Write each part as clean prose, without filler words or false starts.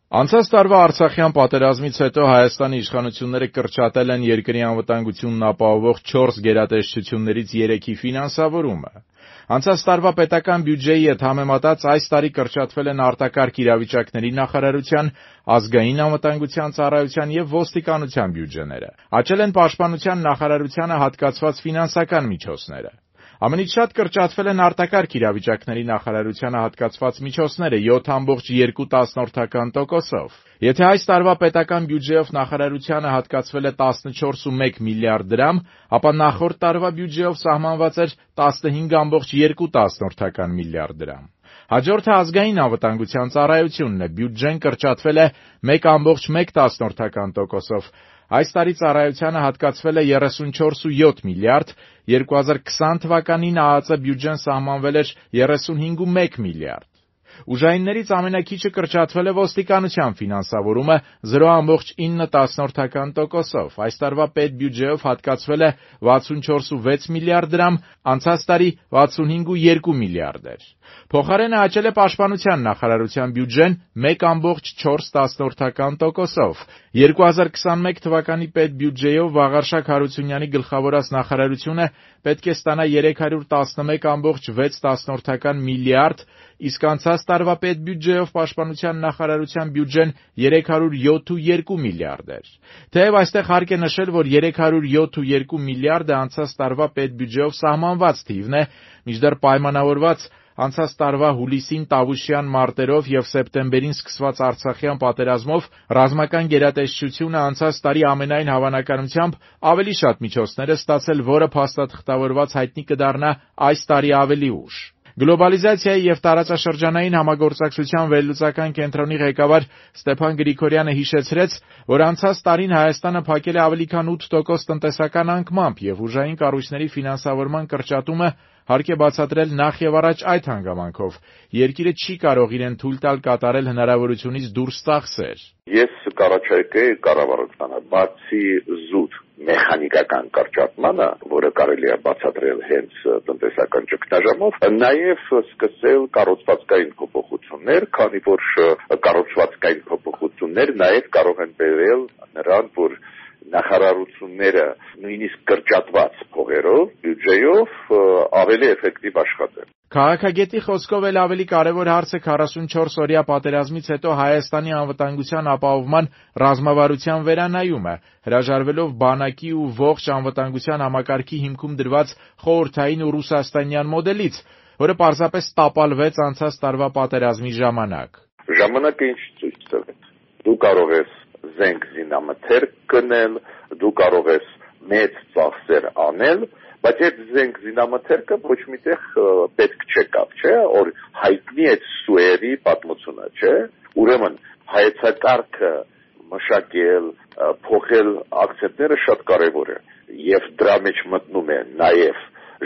Անցած տարվա Արցախյան պատերազմից հետո Հայաստանի իշխանությունները կրճատել են երկրի անվտանգությունն ապահովող 4 գերատեսչություններից 3-ի ֆինանսավորումը։ Անցած տարվա պետական բյուջեի հետ համեմատած այս տարի կրճատվել են արտակարգ իրավիճակների նախարարության, ազգային անվտանգության ծառայության և ոստիկանության բյուջեները։ Աճել են պաշտպանության նախարարությանը հատկացված ֆինանսական միջոցները։ Ամենից շատ կրճատվել են արտակարգ իրավիճակների նախարարությանը հատկացված միջոցները 7,2%-ով։ Եթե այս տարվա պետական բյուջեով նախարարությանը հատկացվել է 14,1 միլիարդ դրամ, ապա նախորդ տարվա բյուջեով սահմանված էր 15,2 միլիարդ դրամ։ Հաջորդը ազգային անվտանգության ծառայությունն է, բյուջեն կրճատվել է 1,1%-ով։ Այս տարի ծառայությանը հատկացվել է 34,7 միլիարդ, 2020 թվականին ԱԱԾ բյուջեն սահմանվել էր 35,1 միլիարդ։ Ուժայիններից ամենաքիչը կրճատվել է ոստիկանության ֆինանսավորումը 0,9%-ով։ Այս տարվա պետբյուջեով հատկացվել է 64,6 միլիարդ դրամ, անցած տարի 65,2 միլիարդ էր։ Փոխարենը աճել է պաշտպանության նախարարության բյուջեն 1,4%-ով։ 2021 թվականի պետբյուջեով Վաղարշակ Հարությունյանի գլխավորած նախարարությունը պետք է ստանա 311,6 միլիարդ, իսկ անցած տարվա պետբյուջեով պաշտպանության նախարարության բյուջեն 307,2 միլիարդ էր։ Թեև այստեղ հարկ է նշել, որ 307,2 միլիարդը անցած տարվա պետբյուջեով սահմանված թիվն է, մինչդեռ պայմանավորված անցած տարվա հուլիսին Տավուշյան մարտերով և սեպտեմբերին սկսված Արցախյան պատերազմով ռազմական գերատեսչությունը անցած տարի ամենայն հավանականությամբ ավելի շատ միջոցներ է ստացել, որը փաստաթղթավորված հայտնի կդառնա այս տարի ավելի ուշ։ Գլոբալիզացիայի և տարածաշրջանային համագործակցության վերլուծական կենտրոնի ղեկավար Ստեփան Գրիգորյանը հիշեցրեց, որ անցած տարին Հայաստանը փակել է ավելի քան 8% տնտեսական անկմամբ և ուժային կառույցների ֆինանսավորման կրճատումը հարկ է բացատրել նախ և առաջ այդ հանգամանքով։ Երկիրը չի կարող իրեն թույլ տալ կատարել հնարավորությունից դուրս ծախսեր։ Ես կառաջարկեի կառավարությանը բացի զուտ մեխանիկական կրճատմանը, որը կարելի է բացատրել հենց տնտեսական ճգնաժամով, նաև սկսել կառուցվածքային փոփոխություններ, քանի որ կառուցվածքային փոփոխություններ նաև կարող են բերել նրան, որ նախարարությունները նույնիսկ կրճատված փողերով, բյուջեով ավելի էֆեկտիվ աշխատեն։ Քաղաքագետի խոսքով էլ ավելի կարևոր հարց է 44-օրյա պատերազմից հետո Հայաստանի անվտանգության ապահովման ռազմավարության վերանայումը, հրաժարվելով բանակի ու ողջ անվտանգության համակարգի հիմքում դրված խորհրդային ու ռուսաստանյան մոդելից, որը պարզապես տապալվեց անցած տարվա պատերազմի ժամանակ։ Ժամանակը ինչ ցույց տվեց։ Դու կարող ես զենք զինամթերք գնել, դու կարող ես մեծ ծախսեր անել, բայց այդ զենք զինամթերքը ոչ միտեղ պետք չեկավ, չէ՞, որ հայտնի այդ սուերի պատմությունը, չէ՞։ Ուրեմն հայեցակարգը մշակել, փոխել ակցենտները շատ կարևոր է, եւ դրա մեջ մտնում է նաեւ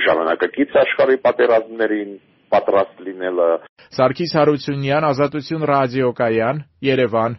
ժամանակակից աշխարհի պատերազմներին պատրաստ լինելը։ Սարգիս Հարությունյան, Ազատություն ռադիոկայան, Երևան։